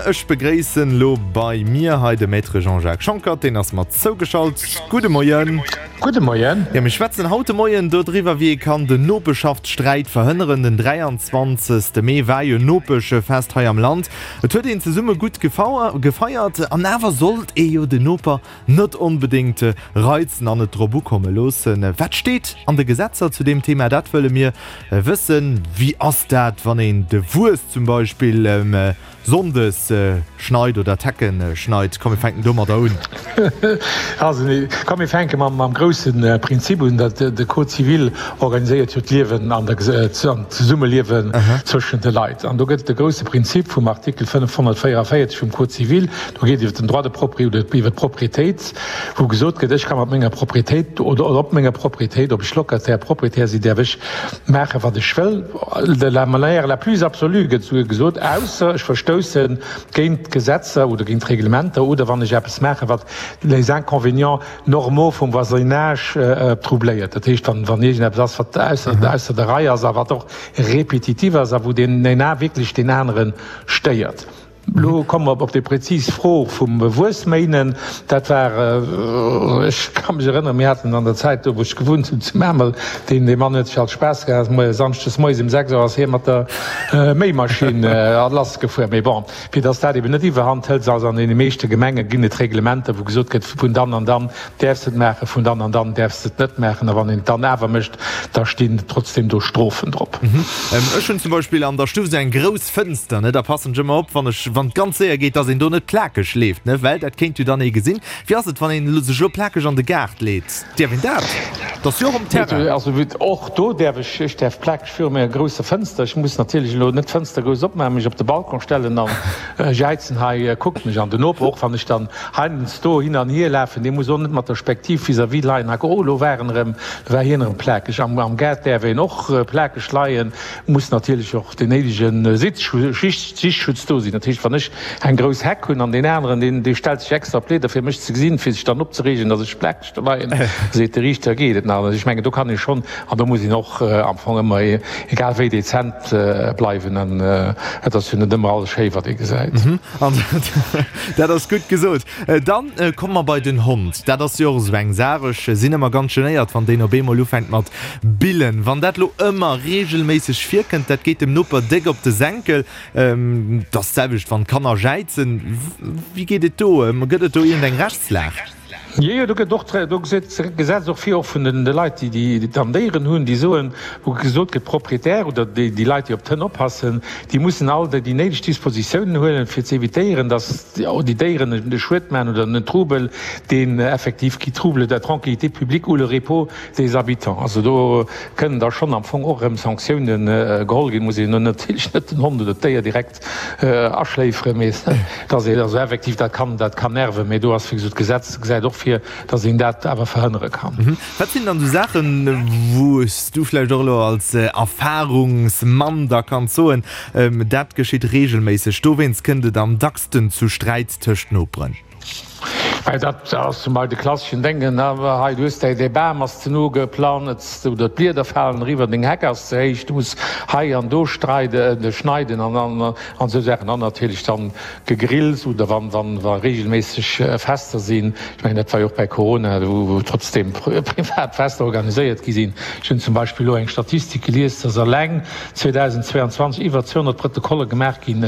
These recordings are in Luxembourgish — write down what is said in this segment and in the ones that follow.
Ech begréissen elo bei mir hei de Maître Jean-Jacques Schonckert, deen ass mer zougeschalt. Gudde Moien. Gudde Moien. Jo, mir schwätzen haut de Moien dodriwwer, wéi ee kann den Nopeschaftssträit verhënneren. Den 23. Mee war jo Nopeschfest hei am Land. Et huet een zesumme gutt gefeiert an awer sollt ee jo den Noper net onbedéngt reizen an et drop ukomme loossen. Wat steet an de Gesetzer zu deem Thema? Dat wëlle mir wëssen. Wéi ass dat, wann een de Wues zum Beispill Sonndes schneit oder d'Hecken schneit? Komm mir fänken domadder un. Also komm mir fänke mam grousse Prinzip un, dat de Code civil organiséiert jo d'Liewen an d'Zesummeliewen zwëschen de Leit. An do gëtt et de grousse Prinzip vum Artikel 544 vum Code civil, Do geet et iwwer den Droit de propriété oder iwwer d'Propriétéit, wou gesot gëtt, ech ka mat menger Propriétéit oder op menger Propriétéit, ob ech Locataire, Propriétaire sinn, däerf ech maachen, wat ech wëll, de la manière la plus absolue gëtt esouguer gesot, ausser ech verstousse géint d'Gesetzer oder géint d'Reglementer oder wann ech eppes maachen, wat les inconvénients normaux vum Voisinage troubléiert. Dat heescht, wann iergendeppes ass, wat ausser der Rei ass a wat och répétitif ass a wou deen een wierklech deen anere stéiert. Elo komme mer op déi prezis Fro vum Wuessméinen. Dat war, ech ka mech erënneren, mir haten an der Zäit do, wou ech gewunnt hunn zu Memel, deen, dee Mann huet sech alt Spaass gemaach, ass samschdes moies um 6 Auer ass hie mat der Méimaschinn lassgefuer. Mee bon, fir datt dat eben net iwwerhand hëlt, also an deene meeschte Gemenge ginn et Reglementer, wou gesot gëtt, vun dann an dann däerfs de et maachen, vun dann an dann däerfs de et net maachen. A wann een et dann awer mécht, da stinn trotzdem do Strofen drop. Ech hunn zum Beispill an der Stuff esou eng grouss Fënster, ne, da passen ech ëmmer op, wann ech, wann et ganz séier geet, dass een do net plakeg leeft, ne, well dat kéint jo dann ee gesinn. Wéi ass et, wann een sech elo plakeg an de Gaart leet? Däerf een dat? Dat ass jo och um Terrain. Also och do däerf ech, ech däerf plakeg viru menger grousser Fënster. Ech muss natierlech elo net d'Fënster grouss opmaachen, mech op de Balcon stellen an jäizen, hei kuckt mech an. Den Noper och, wann ech dann heiansdo hin an hier lafen, dee muss och net mat der Spektiv vis-à-vis leien, hei, oh elo war en erëm, elo war hien erëm plakeg. Am Gaart däerf een och plakeg leien. Muss natierlech och deen néidege Sichtschutz do sinn. Dat heescht, wann ech eng grouss Heck hunn an deen aneren, deen, dee stellt sech extra op d'Leeder, fir mech ze gesinn, fir sech dann opzereegen, datt ech plakeg do leien, seet de Riichter, geet et nach. Also ech mengen, do kann ee schonn, an do muss een och am Fong ëmmer, egal wéi, dezent bleiwen. An et ass jo net ëmmer alles schéi, wat ee gesäit. An dat ass gutt gesot. Dann komme mer bei den Hond. Dat ass jo och esou eng Saach. Ech sinn ëmmer ganz genéiert, wann deen op eemol ufänkt mat billen. Wann dat lo ëmmer reegelméisseg virkënnt, dat geet dem Noper déck op de Senkel. Et ass d'selwecht, wann d'Kanner jäizen. Wéi geet et do? Gëtt et do iergendeng Rechtslag? Jo, jo, do gëtt och, do gesäit d'Gesetz och vir, och vun de Leit, déi déi dann Déieren hunn, déi soen, wou gesot gëtt, d'Propriétaire oder déi déi Leit, déi op d'Hënn oppassen, déi mussen all déi néideg Dispositiounen huelen, fir ze évitéieren, datt déi Déieren e Schued maachen oder en Trubel, deen effektiv qui trouble la tranquillité publique ou le repos des habitants. Also do kënnen da schonn am Fong och erëm Sanktiounen geholl ginn. Muss een elo natierlech net den Hond oder d'Déier direkt aschléiferen, mee dass een also effektiv, dat kann, dat kann nerven, mee do ass wéi gesot d'Gesetz gesäit och vir, dass een dat awer verhënnere kann. Wat sinn dann esou Saachen, wou s du vläicht och elo als Erfahrungsmann da kanns soen, dat geschitt reegelméisseg, dowéinst kënnt et am dacksten zu Sträit tëscht Noperen? Well dat ass zum Beispill de klasseschen Denken, hei du hues däi, däi Bam ass ze no geplanzt oder d'Blieder falen eriwwer, deng Heck ass ze héich, du muss hei an do streiden, schneiden an an esou Saachen. An natierlech dann Gegrills oder wann wann wa reegelméisseg Fester sinn. Ech mengen dat war jo och bäi Corona, wou wou trotzdem privat Fester organiséiert gi sinn. Ech hunn zum Beispill elo eng Statistik gelies, dass eleng 2022 iwwer 200 Protokolle gemaach ginn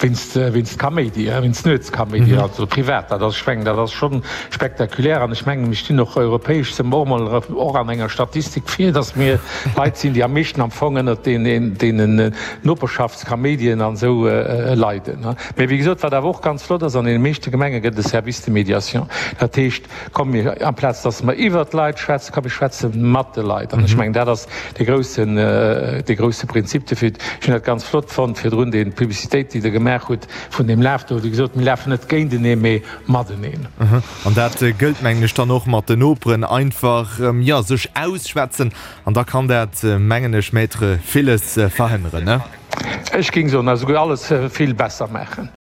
wéinst wéinst Kaméidi, wéinst Nuetskaméidi, also privat. Dat ass, ech mengen, dat ass schonn spektakulär an ech mengen, mir stinn och europäesch si mer och emol och an enger Statistik vir, dass mir Leit sinn, déi am meeschten am Fong ënnert deenen deenen Noperschaftskaméidien an esou leiden. Mee wéi gesot, wat awer och ganz flott ass, an deene meeschte Gemenge gëtt et e Service de médiation. Dat heescht, komm mir, amplaz dass mer iwwert d'Leit schwätzen, komm mir schwätze mat de Leit. An ech mengen, dat ass dee groussen, dee grousse Prinzip dofir. Ech hunn dat ganz flott fonnt virdrun, déi Publicitéit, déi Der gemaach hutt vun deem Laf do. Wéi gesot, mir lafen net géintenee, mee mateneen. An dat gëllt, mengen ech, dann och mat den Noperen. Einfach, jo, sech ausschwätzen an da kann dat, mengen ech, Maître, villes verhënneren, ne? Ech géing soen, esouguer alles vill besser maachen.